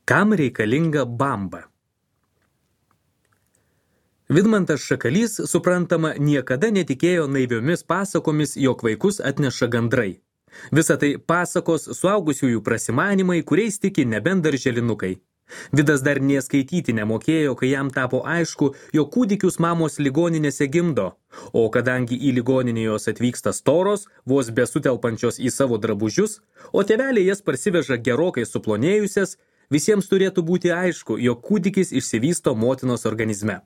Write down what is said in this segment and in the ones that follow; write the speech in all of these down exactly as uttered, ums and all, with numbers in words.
Kam reikalinga bamba? Vidmantas Šakalys, suprantama, niekada netikėjo naiviomis pasakomis, jog vaikus atneša gandrai. Visa tai pasakos suaugusiųjų prasimanimai, kuriais tiki nebent darželinukai. Vidas dar neskaityti nemokėjo, kai jam tapo aišku, jog kūdikius mamos ligoninėse gimdo, o kadangi į ligoninę jos atvyksta storos, vos besutelpančios į savo drabužius, o tėveliai jas parsiveža gerokai suplonėjusias, visiems turėtų būti aišku, jog kūdikis išsivysto motinos organizme.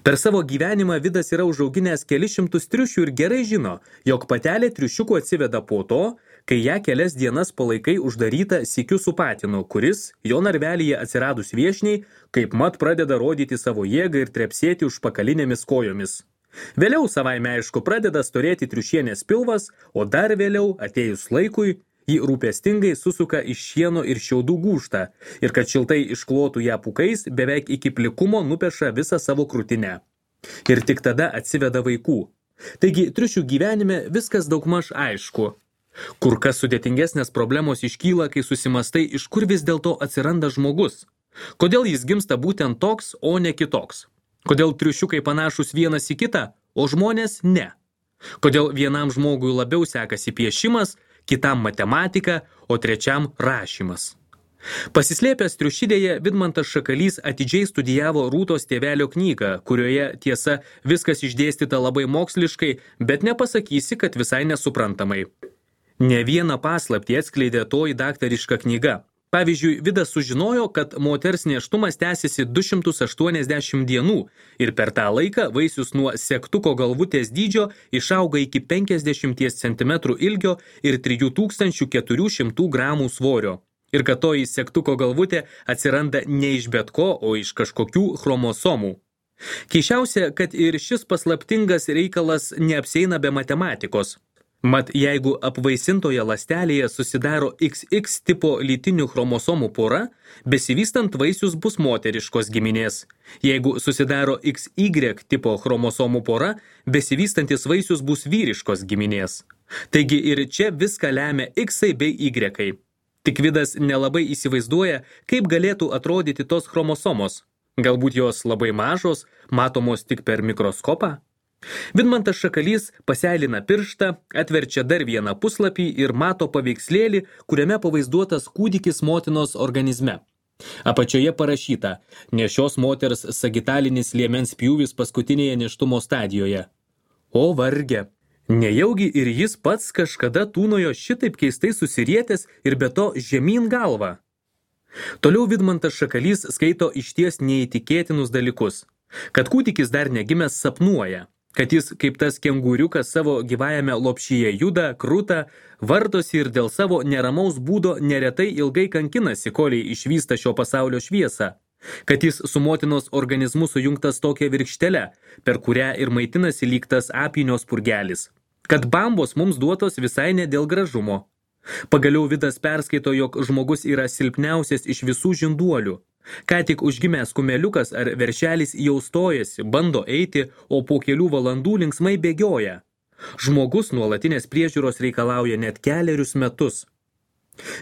Per savo gyvenimą Vidas yra užauginęs kelis šimtus triušių ir gerai žino, jog patelė triušiukų atsiveda po to, kai ją kelias dienas palaikai uždaryta sykiu su patinu, kuris, jo narvelyje atsiradus viešniai, kaip mat pradeda rodyti savo jėgą ir trepsėti užpakalinėmis kojomis. Vėliau savaime aišku pradeda storėti triušienės pilvas, o dar vėliau, atėjus laikui, jį rūpestingai susuka iš šieno ir šiaudų gūžtą ir kad šiltai išklotų ją pūkais, beveik iki plikumo nupeša visą savo krūtinę. Ir tik tada atsiveda vaikų. Taigi, triušių gyvenime viskas daugmaž aišku. Kur kas sudėtingesnės problemos iškyla, kai susimastai, iš kur vis dėlto atsiranda žmogus. Kodėl jis gimsta būtent toks, o ne kitoks? Kodėl triušiukai panašus vienas į kitą, o žmonės ne? Kodėl vienam žmogui labiau sekasi piešimas, kitam matematika, o trečiam rašymas. Pasislėpęs triušidėje, Vidmantas Šakalys atidžiai studijavo Rūtos tėvelio knygą, kurioje tiesa viskas išdėstyta labai moksliškai, bet nepasakysi, kad visai nesuprantamai. Ne vieną paslaptį atskleidė toji daktariška knyga. Pavyzdžiui, Vidas sužinojo, kad moters nėštumas tęsiasi du šimtus aštuoniasdešimt dienų ir per tą laiką vaisius nuo segtuko galvutės dydžio išauga iki penkiasdešimt centimetrų ilgio ir trijų tūkstančių keturių šimtų gramų svorio. Ir kad toji segtuko galvutė atsiranda ne iš bet ko, o iš kažkokių chromosomų. Keisčiausia, kad ir šis paslaptingas reikalas neapsieina be matematikos. Mat, jeigu apvaisintoje ląstelėje susidaro iks iks tipo lytinių chromosomų pora, besivystant vaisius bus moteriškos giminės. Jeigu susidaro iks igrek tipo chromosomų pora, besivystantis vaisius bus vyriškos giminės. Taigi ir čia viską lemia iksai bei ygrekai. Tik Vidas nelabai įsivaizduoja, kaip galėtų atrodyti tos chromosomos. Galbūt jos labai mažos, matomos tik per mikroskopą? Vidmantas Šakalys paseilina pirštą, atverčia dar vieną puslapį ir mato paveikslėlį, kuriame pavaizduotas kūdikis motinos organizme. Apačioje parašyta, nešios moters sagitalinis liemens pjūvis paskutinėje nėštumo stadijoje. O varge! Nejaugi ir jis pats kažkada tūnojo šitaip keistai susirietęs ir be to žemyn galvą. Toliau Vidmantas Šakalys skaito išties neįtikėtinus dalykus, kad kūdikis dar negimęs sapnuoja, kad jis kaip tas kengūriukas savo gyvajame lopšyje juda, kruta, vartosi ir dėl savo neramaus būdo neretai ilgai kankinasi, koliai išvysta šio pasaulio šviesą, kad jis su motinos organizmu sujungtas tokia virkštele, per kurią ir maitinasi lyg tas apynio spurgelis, kad bambos mums duotos visai ne dėl gražumo. Pagaliau Vidas perskaito, jog žmogus yra silpniausias iš visų žinduolių. Ką tik užgimęs kumeliukas ar veršelis jau stojasi, bando eiti, o po kelių valandų linksmai bėgioja. Žmogus nuolatinės priežiūros reikalauja net kelerius metus.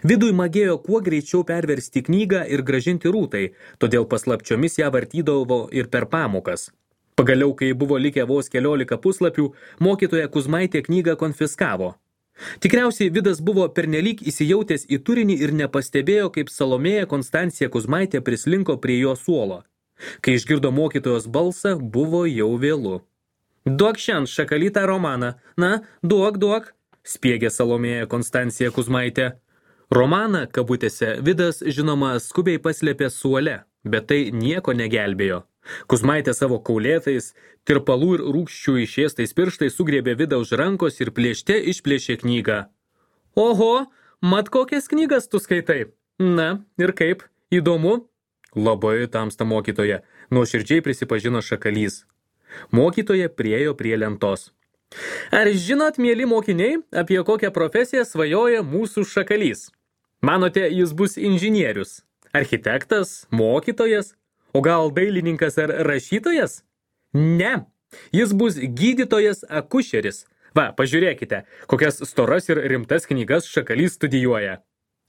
Vidui magėjo kuo greičiau perversti knygą ir grąžinti Rūtai, todėl paslapčiomis ją vartydavo ir per pamokas. Pagaliau, kai buvo likę vos keliolika puslapių, mokytoja Kuzmaitė knygą konfiskavo. Tikriausiai Vidas buvo pernelyg įsijautęs į turinį ir nepastebėjo, kaip Salomėja Konstancija Kuzmaitė prislinko prie jo suolo. Kai išgirdo mokytojos balsą, buvo jau vėlu. Duok šiandien Šakalytą romaną. Na, duok, duok, spiegė Salomėja Konstancija Kuzmaitė. Romaną, kabutėse, Vidas, žinoma, skubiai paslėpė suole, bet tai nieko negelbėjo. Kuzmaitė savo kaulėtais, tirpalų ir rūgščių išėstais pirštais sugriebė Vidą už rankos ir plėšte išplėšė knygą. Oho, mat kokias knygas tu skaitai? Na, ir kaip? Įdomu? Labai tamsta mokytoja, nuoširdžiai prisipažino Šakalys. Mokytoja priėjo prie lentos. Ar žinot, mieli mokiniai, apie kokią profesiją svajoja mūsų Šakalys? Manote, jis bus inžinierius, architektas, mokytojas? O gal dailininkas ar rašytojas? Ne, jis bus gydytojas akušeris. Va, pažiūrėkite, kokias storas ir rimtas knygas Šakalys studijuoja.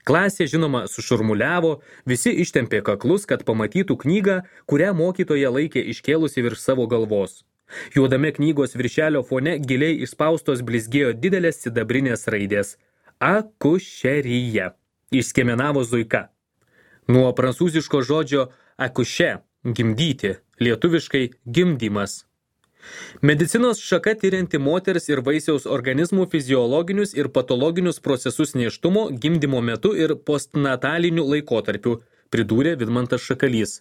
Klasė, žinoma, sušurmuliavo, visi ištempė kaklus, kad pamatytų knygą, kurią mokytoja laikė iškėlusi virš savo galvos. Juodame knygos viršelio fone giliai išspaustos blizgėjo didelės sidabrinės raidės. Akušerija. Išskiemenavo Zuika. Nuo prancūziško žodžio akuše – gimdyti, lietuviškai gimdymas. Medicinos šaka tyrianti moters ir vaisiaus organizmų fiziologinius ir patologinius procesus nėštumo, gimdymo metu ir postnataliniu laikotarpiu, pridūrė Vidmantas Šakalys.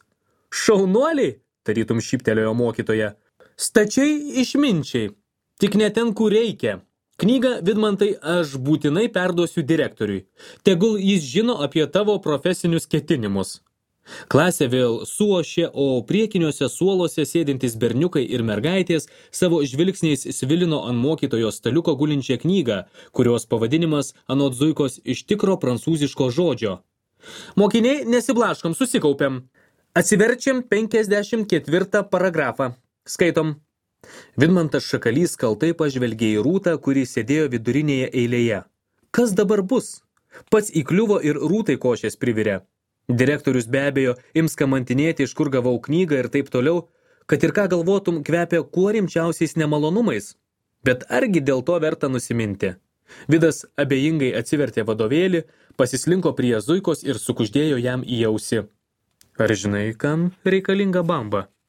Šaunuoliai, tarytum šyptelėjo mokytoja. Stačiai išminčiai, tik ne ten, kur reikia. Knygą, Vidmantai, aš būtinai perduosiu direktoriui. Tegul jis žino apie tavo profesinius ketinimus. Klasė vėl suošė, o priekiniuose suoluose sėdintys berniukai ir mergaitės savo žvilgsniais svilino ant mokytojos staliuko gulinčią knygą, kurios pavadinimas anot Zuikos iš tikro prancūziško žodžio. Mokiniai, nesiblaškom, susikaupiam. Atsiverčiam penkiasdešimt ketvirtą paragrafą. Skaitom. Vidmantas Šakalys kaltai pažvelgė į Rūtą, kuri sėdėjo vidurinėje eilėje. Kas dabar bus? Pats įkliuvo ir Rūtai košės privirė. Direktorius be abejo ims kamantinėti, iš kur gavau knygą ir taip toliau, kad ir ką galvotum kvepia kuo rimčiausiais nemalonumais. Bet argi dėl to verta nusiminti? Vidas abejingai atsivertė vadovėlį, pasislinko prie Zuikos ir sukuždėjo jam į ausį. Ar žinai, kam reikalinga bamba?